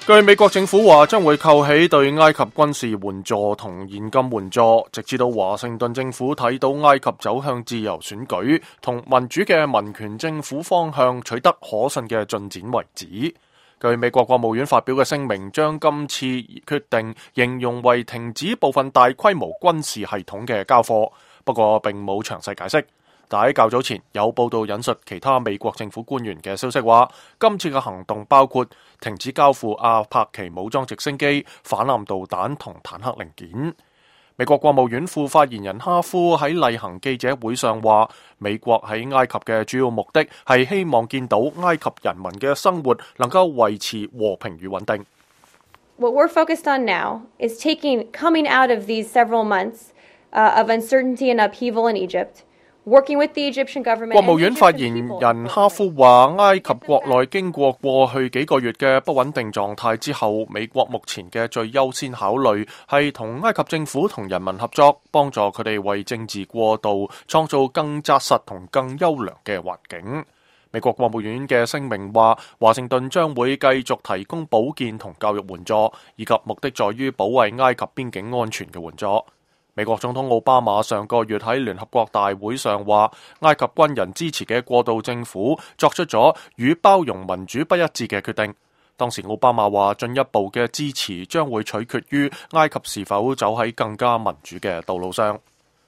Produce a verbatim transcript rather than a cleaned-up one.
據美國政府話，將會扣起對埃及軍事援助同現金援助，直至到華盛頓政府睇到埃及走向自由選舉同民主嘅民權政府方向取得可信嘅進展為止。據美國國務院發表嘅聲明，將今次決定形容為停止部分大規模軍事系統嘅交貨，不過並冇詳細解釋。但喺較早前有報道引述其他美國政府官員嘅消息話，今次嘅行動包括停止交付阿帕奇武裝直升機、反艦導彈同坦克零件。美國國務院副發言人哈夫喺例行記者會上話，美國喺埃及嘅主要目的係希望見到埃及人民嘅生活能夠維持和平與穩定。What we're focused on now is taking coming out of these several months uh, of uncertainty and upheaval in Egypt.國務院發言人哈夫話，埃及國內經過過去幾個月嘅不穩定狀態之後，美國目前嘅最優先考慮係同埃及政府同人民合作，幫助佢哋為政治過渡創造更紮實同更優良嘅環境。美國國務院嘅聲明話，華盛頓將會繼續提供保健同教育援助，以及目的在於保衛埃及邊境安全嘅援助。美國總統奧巴馬上個月喺聯合國大會上話，埃及軍人支持嘅過渡政府作出咗與包容民主不一致嘅決定。當時奧巴馬話，進一步嘅支持將會取決於埃及是否走喺更加民主嘅道路上。